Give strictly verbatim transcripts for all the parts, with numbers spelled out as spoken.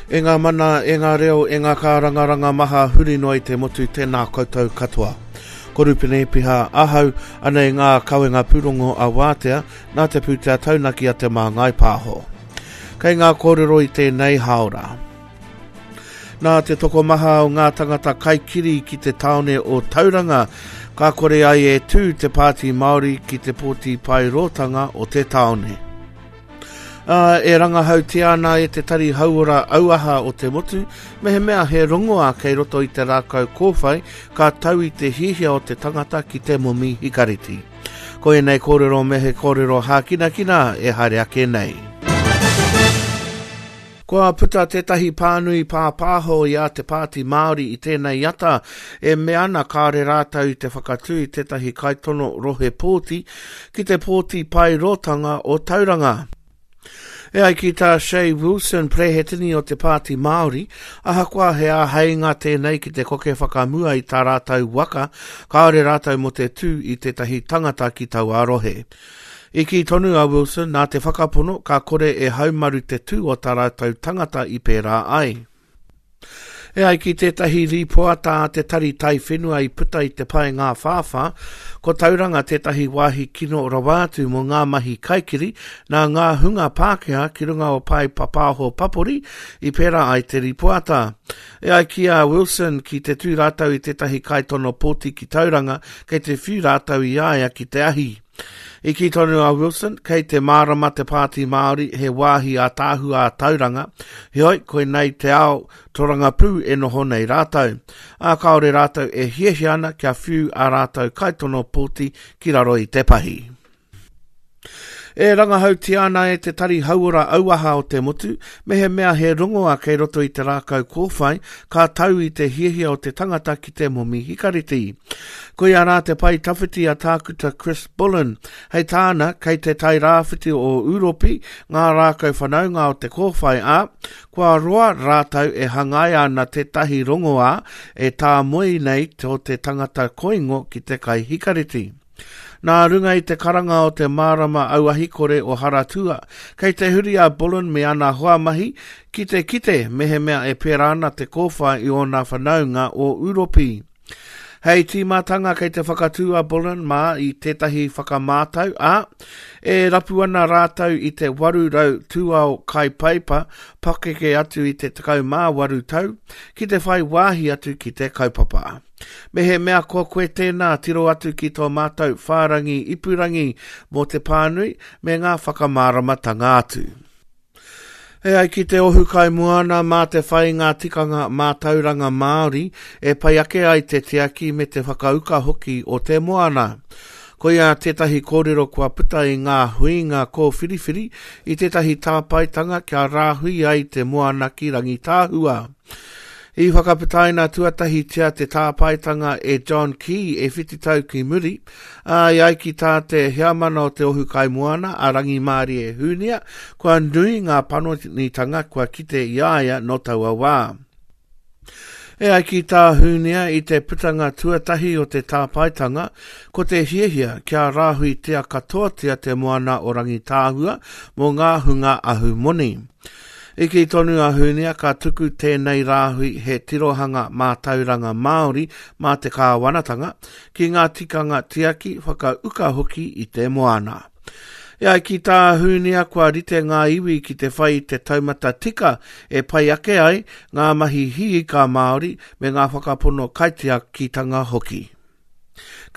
E ngā mana, e ngā reo, e ngā kārangaranga maha huri noa i te motu, tēnā koutou katoa. Ko Rupene Piha ahau, anei ngā kawenga pūrongo a Wātea, nā te pūtea taunaki a Te Māngai Pāho. Kei ngā kōrero i tēnei hāora. Nā te tokomaha o ngā tangata kaikiri ki te tāone o Tauranga, ka kore ai e tū te Pāti Māori ki te pōti paerōtanga o te tāone. Uh, e rangahautia ana e te Tari Hauora Auaha o te motu, mehemea he rongoa kei roto i te rākau kōwhai, ka tau i te hiahia o te tangata ki te momi hikareti. Ko ēnei kōrero me he kōrero hākinakina e haere ake nei. Kua puta tētahi pānui pāpāho i a te Pāti Māori i tēnei ata e mea ana kāore rātou i te whakatū i tētahi kaitono rohe pōti ki te pōti paerōtanga o Tauranga. E ai ki tā Che Wilson, prehetini o te Pāti Māori, ahakoa he āheinga tēnei ki te koke whakamua i tā rātou waka, kāore rātou mō te tū i tētahi tangata ki taua rohe. I kī tonu a Wilson nā te whakapono ka kore e haumaru te tū o tā rātou tangata i pērā ai. E ai ki tētahi rīpoata a te Tari Taiwhenua i puta i te pae ngā whāwhā, ko Tauranga tētahi wāhi kino rawa atu mō ngā mahi kaikiri nā ngā hunga Pākehā ki runga o pae papāho papori i pērā ai te rīpoata. E ai ki a Wilson ki te tū rātou i tētahi kaitono pōti ki Tauranga, kei te whiu rātou i a ia ki te ahi. I kī tonu a Wilson, kei te mārama te Pāti Māori he wāhi ātaahua a Tauranga, heoi, koinei te ao torangapū e noho nei rātou. Ā, kāore rātou e hiahia ana kia whiu ā rātou kaitono pōti ki raro i te pahi. E rangahautia ana e te Tari Hauora Auaha o te motu, mehemea he rongoa kei roto i te rākau kōwhai, ka tau i te hiahia o te tangata ki te momi hikareti. Koia rā te pae tawhiti a Tākuta Chris Bullen. Hei tāna, kei te tai rāwhiti o Ūropi ngā rākau whanaunga o te kōwhai ā, kua roa rātou e hangaia ana tētahi rongoā e tāmoe nei tō te tangata koingo ki te kai hikareti. Nā runga i te karanga o te mārama auahikore o Haratua, kei te huri a Bullen me ana hoa mahi ki te kite mehemea e pērā ana te kōwhai i ōna whanaunga o Ūropi. Hei tīmatanga kei te whakatū a Bullen mā i tētahi whakamātau, ā, e rapu ana rātou i te waru rau tūao kai paipa pakeke atu i te tekau mā waru tau ki te whai wāhi atu ki te kaupapa. Mehemea ko koe tēnā, tiro atu ki tō mātou whārangi ipurangi mō te pānui me ngā whakamāramatanga atu. E ai ki te ohu kai moana mā te whai ngā tikanga mātauranga Māori e pai ake ai te tiaki me te whakauka hoki o te moana. Koia tētahi kōrero kua puta i ngā huinga kōwhiriwhiri i tētahi tāpaetanga kia rāhui ai te moana ki Rangitāhua. I whakaputaina tuatahitia te tāpaetanga e John Key e whitu tau ki muri, ā, i ai ki tā te heamana o te ohu kai moana a Rangimārie Hunia, kua nui ngā panonitanga kua kite i a ia nō taua wā. E ai ki tā Hunia i te putanga tuatahi o te tāpaetanga, ko te hiahia kia rāhuitia katoatia te moana o Rangitāhua mō ngā hunga ahumoni. I kī tonu a Hunia ka tuku tēnei rāhui he tirohanga mātauranga Māori mā te kāwanatanga ki ngā tikanga tiaki whakauka hoki i te moana. E ai ki tā Hunia kua rite ngā iwi ki te whai i te taumata tika e pai ake ai ngā mahi hiika Māori me ngā whakapono kaitiakitanga hoki.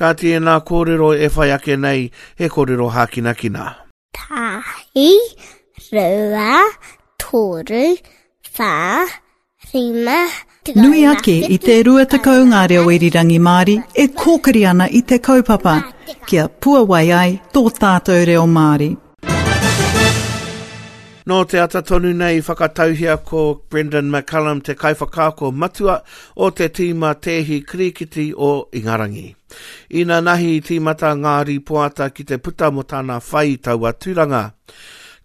Ka tēnā kōrero e whai ake nei he kōrero hākinakina. Tahi, rua, toru, whā, rima, Nui ake i te rua tekau ngā reo irirangi Māori e kōkiri ana i te kaupapa, kia puawai ai tō tātou reo Māori. Nō te ata tonu nei i whakatauhia ko Brendan McCullum te kaiwhakaako matua o te tīma tēhi kirikiti o Ingarangi. Inanahi i tīmata ngā rīpoata ki te puta mō tāna whai i taua tūranga.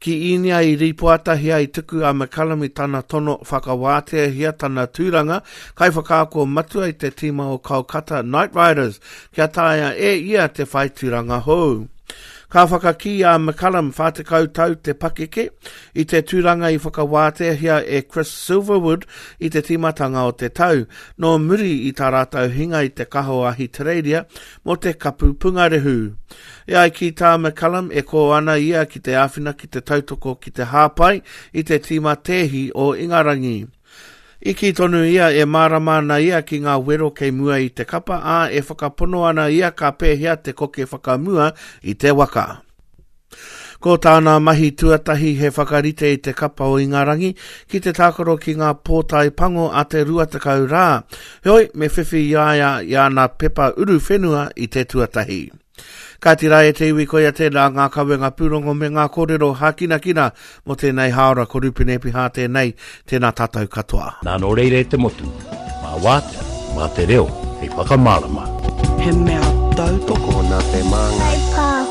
Ki Īnia i rīpoatahia i tuku a McCullum i tana tono whakawāteahia tana tūranga kaiwhakaako matua i te tīma o Kolkata Knight Riders kia taea e ia te whai tūranga hou. Ka whakakī a McCullum whā tekau tau te pakeke i te tūranga i whakawāteahia e Chris Silverwood i te tīmatanga o te tau, nō muri i tā rātou hinga i te kaha o Ahitereiria mō te kapu pungarehu. E ai ki tā McCullum e kō ana ia ki te āwhina ki te tautoko ki te hāpai i te tīma tēhi o Ingarangi. I kī tonu ia e mārama ana ia ki ngā wero kei mua i te kapa, ā, e whakapono ana ia ka pēhea te koke whakamua i te waka. Ko tāna mahi tuatahi he whakarite i te kapa o Ingarangi ki te tākaro ki ngā pōtae pango a te rua tekau rā. Heoi, me whiwhi i a ia i ana pepa uruwhenua i te tuatahi. Kāti rā e te iwi koia tēnā ngā kawenga pūrongo me ngā kōrero hākinakina mō tēnei hāora ko Rupene Epiha tēnei, tēnā tātou katoa. Nā nō reira e te motu, mā wātea, mā te reo, hei whakamārama. He mea tautoko Tokona te māngai. Pāho.